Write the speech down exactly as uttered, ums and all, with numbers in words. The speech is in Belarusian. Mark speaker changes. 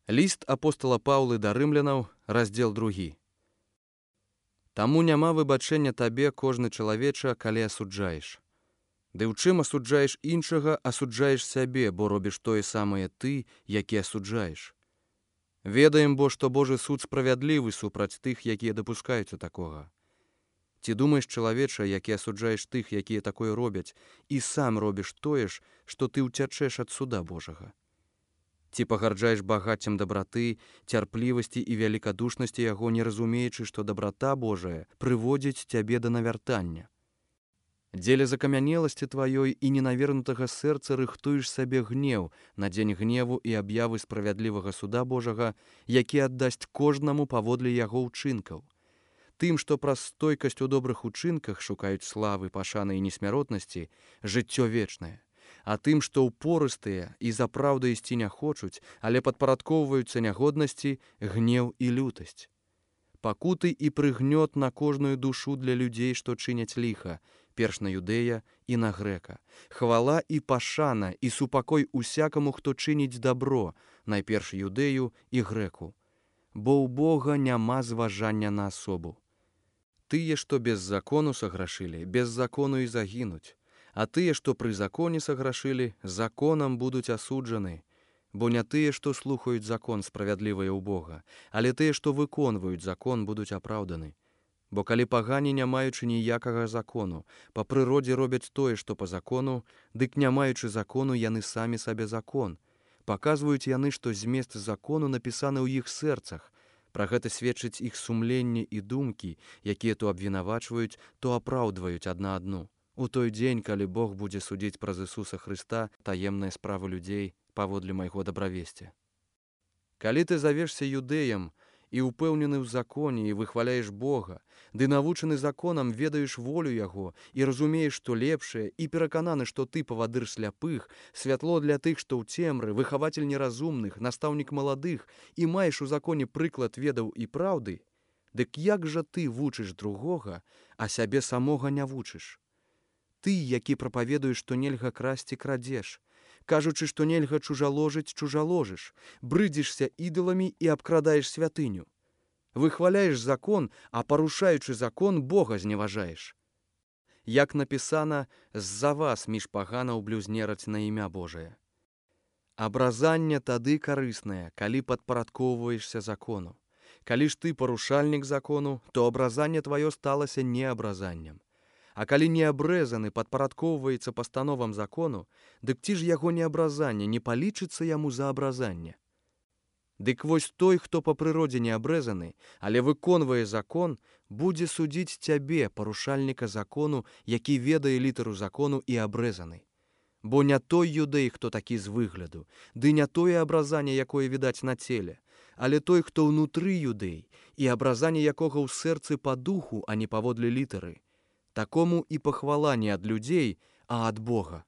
Speaker 1: Ліст апостала Паўлы да рымлянаў, раздзел другі. Таму няма выбачэння табе, кожны чалавеча, калі асуджаеш. Ды ў чым асуджаеш іншага, асуджаеш сябе, бо робіш тое самае ты, які асуджаеш. Ведаем, бо, што Божы суд справядлівы супраць тых, якія дапускаюцца такога. Ці думаеш, чалавеча, які асуджаеш тых, якія такое робяць, і сам робіш тое ж, што ты ўцячэш ад суда Божага? Ці пагарджаеш багаццем дабраты, цярплівасці і велікадушнасці яго, не разумеючы, што дабрата Божая прыводзіць цябе да навяртання? Дзеля закамянеласці тваёй і ненавернутага сэрца рыхтуеш сабе гнеў на дзень гневу і аб'явы справядлівага суда Божага, які аддасць кожнаму паводле яго ўчынкаў. Тым, што праз стойкасць у добрых учынках шукаюць славы, пашаны і несмяротнасці, жыццё вечнае. А тым, што ўпорыстыя і за праўдай ісці не хочуць, але падпарадкоўваюцца нягоднасці, гнеў і лютасць. Пакуты і прыгнёт на кожную душу для людзей, што чыняць ліха, перш на юдэя і на грэка. Хвала і пашана і супакой усякаму, хто чыніць дабро, найперш юдэю і грэку. Бо ў Бога няма зважання на асобу. Тыя, што без закону саграшылі, без закону і загінуць. А тыя, што пры законе саграшылі, законам будуць асуджаны. Бо не тыя, што слухаюць закон справядлівыя ў Бога, але тыя, што выконваюць закон, будуць апраўданы. Бо калі пагані, не маючы ніякага закону, па прыродзе робяць тое, што па закону, дык не маючы закону, яны самі сабе закон. Паказваюць яны, што змест закону напісаны ў іх сэрцах. Пра гэта сведчыць іх сумленне і думкі, якія то абвінавачваюць, то апраўдваюць адна адну. У той дзень, калі Бог будзе судзіць праз Ісуса Хрыста таемныя справы людзей паводле майго дабравесця. Калі ты завешся юдэем і ўпэўнены ў законе і выхваляеш Бога, ды навучаны законам ведаеш волю Яго і разумееш, што лепшае, і перакананы, што ты павадыр сляпых, святло для тых, што ў цемры, выхавацель неразумных, настаўнік маладых, і маеш у законе прыклад ведаў і праўды, дык як жа ты вучыш другога, а сябе самога не вучыш? Ты, які прапаведуеш, што нельга красці, крадзеш, кажучы, што нельга чужаложыць, чужаложыш, брыдзішся ідоламі і абкрадаеш святыню. Выхваляеш закон, а парушаючы закон, Бога зневажаеш. Як напісана, з-за вас між паганаў блюзнераць на імя Божае. Абразанне тады карыснае, калі падпарадкоўваешся закону. Калі ж ты парушальнік закону, то абразанне тваё сталася неабразаннем. А калі неабрэзаны падпарадкоўваецца пастановам закону, дык ці ж яго неабразанне не палічыцца яму за абразанне? Дык вось той, хто па прыродзе неабрэзаны, але выконвае закон, будзе судзіць цябе, парушальніка закону, які ведае літару закону і абрэзаны. Бо не той юдэй, хто такі з выгляду, ды не тое абразанне, якое відаць на целе, але той, хто ўнутры юдэй, і абразанне якога ў сэрцы па духу, а не паводле літары. Такому і пахвала не ад людзей, а ад Бога.